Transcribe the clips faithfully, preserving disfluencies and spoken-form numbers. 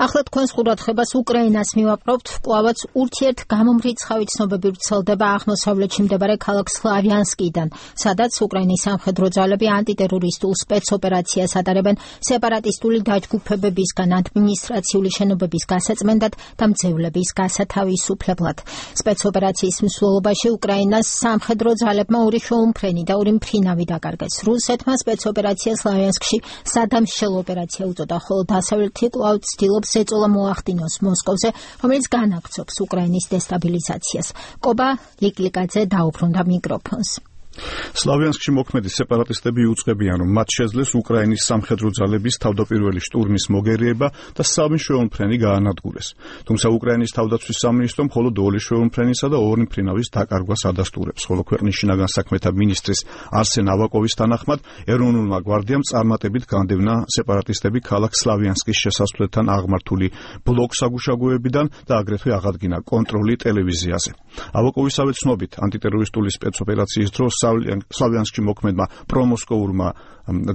ახლა თქვენს ყურადღებას უკრაინას მივაპყრობთ, კვლავაც ურთიერთ გამომრიცხავი ცნობები ვრცელდება აღმოსავლეთში მდებარე ქალაქ სლავიანსკიდან, სადაც უკრაინის სამხედრო ძალები ანტიტერორისტულ სპეცოპერაციას ატარებენ სეპარატისტული დაჯგუფებებისგან ადმინისტრაციული შენობების გასაწმენდად და მძევლების გასათავისუფლებლად. სპეცოპერაციის მსვლელობაში უკრაინას სამხედრო ძალებმა ორი შეუმფრენი და ორი მფრინავი დაკარგეს. რუსეთმა სპეცოპერაცია სლავიანსკში სადამშელო ოპერაცია უწოდა, ხოლო დასავლეთი კვლავ ცდილობს ეწოლა მოახდინოს მოსკოვზე, რომელიც განაგრძობს უკრაინის დესტაბილიზაციას. კობა ლიკლიკაძე დაუბრუნდა მიკროფონს. სლავიანსკში მოქმედი სეპარატისტები იუწყებიან, რომ მათ შეძლეს უკრაინის სამხედრო ძალების თავდაპირველი შტურმის მოგერიება და სამი შეუმფრენი გაანადგურეს. თუმცა უკრაინის თავდაცვის სამინისტრომ მხოლოდ ორი შეუმფრენისა და ორი მფრინავის დაკარგვას ადასტურებს, ხოლო ქვეყნის შინაგან საქმეთა მინისტრის არსენ ავაკოვის თანახმად ეროვნულმა გვარდიამ წარმატებით განდევნა სეპარატისტები ქალაქ სლავიანსკის შესასვლელთან აღმართული ბლოკსაგუშაგოებიდან და აგრეთვე აღადგინა კონტროლი ტელევიზიაზე. ავაკოვისავე ცნობით, ანტიტერორისტული სპეცოპერაციის დროს სლავიანსკში მოქმედმა პრომოსკოურმა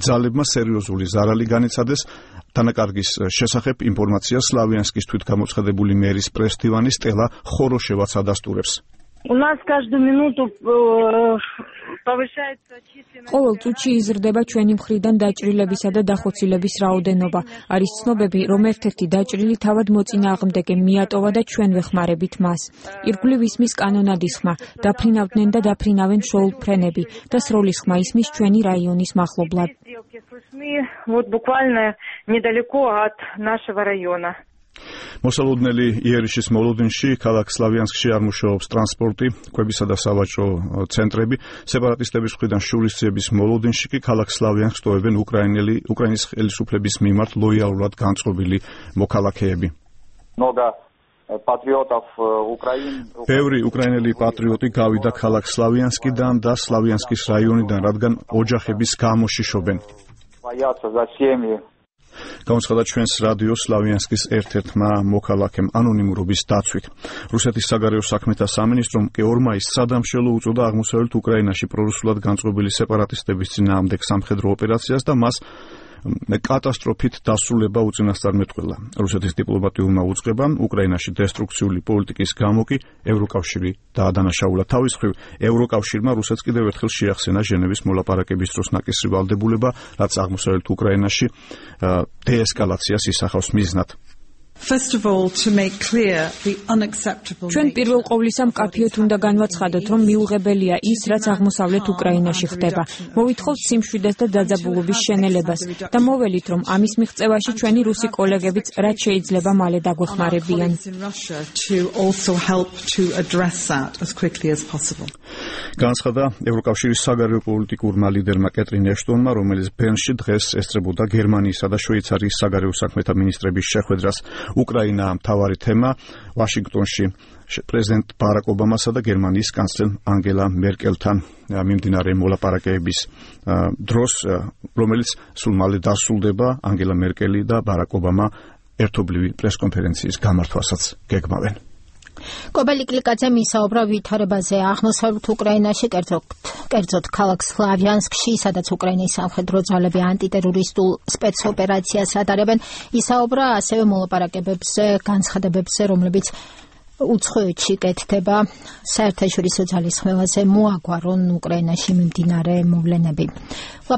ძალებმა სერიოზული ზარალი განიცადეს. დანაკარგის შესახებ ინფორმაცია სლავიანსკის თვითგამოცხადებული მერის პრეს-დივანი სტელა ხოროშევაც ადასტურებს. ყოველ წუთში იზრდება ჩვენი მხრიდან დაჭრილებისა და დახოცილების რაოდენობა. არის ცნობები, რომ ერთ-ერთი დაჭრილი თავად მოწინააღმდეგე მიატოვა და ჩვენ ვეხმარებით მას. ირგვლივ ისმის კანონადის ხმა, დაფრინავდნენ და დაფრინავენ შეულფრენები და სროლის ხმა ისმის ჩვენი რაიონის მახლობლად. მოსალოდნელი იერიშის მოლოდინში, ქალაქ სლავიანსკში არ მუშაობს ტრანსპორტი, კვებისა და სავაჭრო ცენტრები. სეპარატისტების მხრიდან შურისძიების მოლოდინში კი ქალაქ სლავიანსკს ტოვებენ უკრაინელი უკრაინის ხელისუფლების მიმართ ლოიალურად განწყობილი მოქალაქეები. ბევრი უკრაინელი პატრიოტი გავიდა ქალაქ სლავიანსკიდან და სლავიანსკის რაიონიდან, რადგან ოჯახების გამოშიშობენ. გამოცხადა ჩვენს რადიო სლავიანსკის ერთ-ერთმა მოქალაქემ ანონიმურობის დაცვით. რუსეთის საგარეო საქმეთა სამინისტრომ კი ორ მაისს სადამშელო უწოდა აღმოსავლეთ უკრაინაში პრორუსულად განწყობილი სეპარატისტების წინააღმდეგ სამხედრო ოპერაციას და მას კატასტროფით დასრულება უწინასწარ მეტყველა. რუსეთის დიპლომატიურმა უწყებამ უკრაინაში დესტრუქციული პოლიტიკის გამო კი ევროკავშირი დაადანაშაულა. თავის მხრივ ევროკავშირმა რუსეთს კიდევ ერთხელ შეახსენა ჟენევის მოლაპარაკების დროს ნაკისრი ვალდებულება, რაც აღმოსავლეთ უკრაინაში დეესკალაციას ისახავს მიზნად. ჩვენ პირველ ყოვლისა მკაფიოდ უნდა განვაცხადოთ, რომ მიუღებელია ის, რაც აღმოსავლეთ უკრაინაში ხდება. მოვითხოვთ სიმშვიდეს და დაძაბულობის შენელებას და მოველით, რომ ამის მიღწევაში ჩვენი რუსი კოლეგებიც რაც შეიძლება მალე დაგვეხმარებიან. განაცხადა ევროკავშირის საგარეო პოლიტიკურმა ლიდერმა კეტრინ ეშტონმა, რომელიც ბერნში დღეს ესწრებოდა გერმანიისა და შვეიცარიის საგარეო საქმეთა მინისტრების შეხვედრას. უკრაინა მთავარი თემა ვაშინგტონში პრეზიდენტ ბარაკ ობამასა და გერმანიის კანცლერ ანგელა მერკელთან მიმდინარე მოლაპარაკებების დროს, რომელიც სულ მალე დასრულდება, ანგელა მერკელი და ბარაკ ობამა ერთობლივი პრესკონფერენციის გამართვასაც გეგმავენ. კობა ლიკლიკაძე მისაუბრა ვითარებაზე აღმოსავლეთ უკრაინაში, კერძოდ ქალაქ სლავიანსკში, სადაც უკრაინის სამხედრო ძალები ანტიტერორისტულ სპეცოპერაციას ატარებენ. ისაუბრა ასევე მოლაპარაკებებზე, განცხადებებზე, რომლებიც უცხოეთში კეთდება. საერთაშორისო ძალის ხმელაზე მოაგვარონ უკრაინაში მიმდინარე მოვლენები.